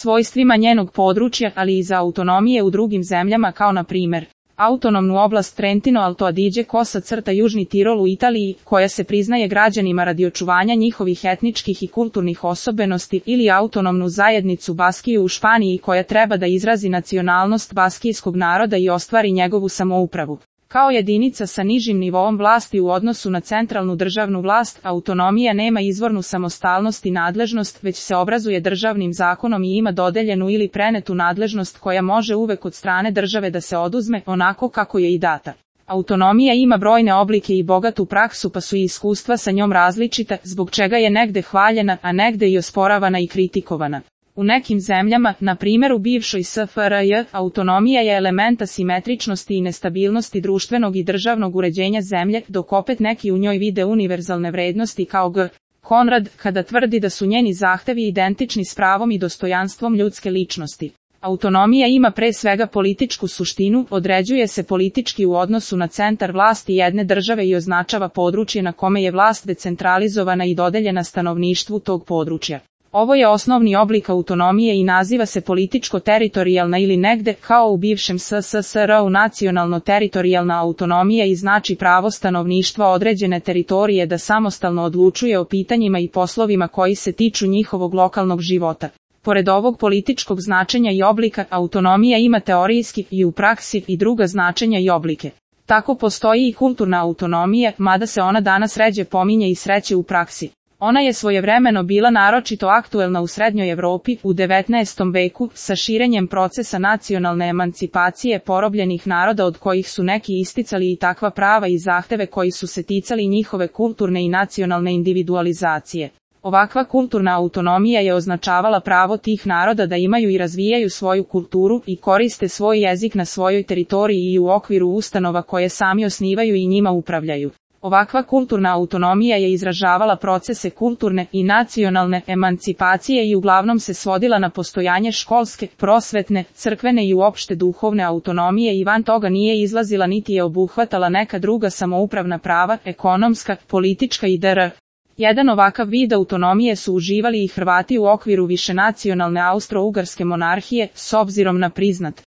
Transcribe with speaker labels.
Speaker 1: svojstvima njenog područja, ali i za autonomije u drugim zemljama kao na primjer autonomnu oblast Trentino Alto Adige Južni Tirol u Italiji, koja se priznaje građanima radi očuvanja njihovih etničkih i kulturnih osobenosti, ili autonomnu zajednicu Baskiju u Španiji koja treba da izrazi nacionalnost baskijskog naroda i ostvari njegovu samoupravu. Kao jedinica sa nižim nivoom vlasti u odnosu na centralnu državnu vlast, autonomija nema izvornu samostalnost i nadležnost, već se obrazuje državnim zakonom i ima dodeljenu ili prenetu nadležnost koja može uvek od strane države da se oduzme, onako kako je i data. Autonomija ima brojne oblike i bogatu praksu, pa su i iskustva sa njom različita, zbog čega je negde hvaljena, a negde i osporavana i kritikovana. U nekim zemljama, na primjer u bivšoj SFRJ, autonomija je element asimetričnosti i nestabilnosti društvenog i državnog uređenja zemlje, dok opet neki u njoj vide univerzalne vrednosti kao G. Konrad, kada tvrdi da su njeni zahtevi identični s pravom i dostojanstvom ljudske ličnosti. Autonomija ima pre svega političku suštinu, određuje se politički u odnosu na centar vlasti jedne države i označava područje na kome je vlast decentralizovana i dodeljena stanovništvu tog područja. Ovo je osnovni oblik autonomije i naziva se političko-teritorijalna ili negde, kao u bivšem SSSR-u, nacionalno-teritorijalna autonomija i znači pravo stanovništva određene teritorije da samostalno odlučuje o pitanjima i poslovima koji se tiču njihovog lokalnog života. Pored ovog političkog značenja i oblika, autonomija ima teorijski i u praksi i druga značenja i oblike. Tako postoji i kulturna autonomija, mada se ona danas ređe pominje i sreće u praksi. Ona je svojevremeno bila naročito aktuelna u Srednjoj Evropi u 19. veku sa širenjem procesa nacionalne emancipacije porobljenih naroda od kojih su neki isticali i takva prava i zahteve koji su se ticali njihove kulturne i nacionalne individualizacije. Ovakva kulturna autonomija je označavala pravo tih naroda da imaju i razvijaju svoju kulturu i koriste svoj jezik na svojoj teritoriji i u okviru ustanova koje sami osnivaju i njima upravljaju. Ovakva kulturna autonomija je izražavala procese kulturne i nacionalne emancipacije i uglavnom se svodila na postojanje školske, prosvetne, crkvene i uopšte duhovne autonomije i van toga nije izlazila niti je obuhvatala neka druga samoupravna prava, ekonomska, politička i dr. Jedan ovakav vid autonomije su uživali i Hrvati u okviru višenacionalne Austro-Ugarske monarhije, s obzirom na priznat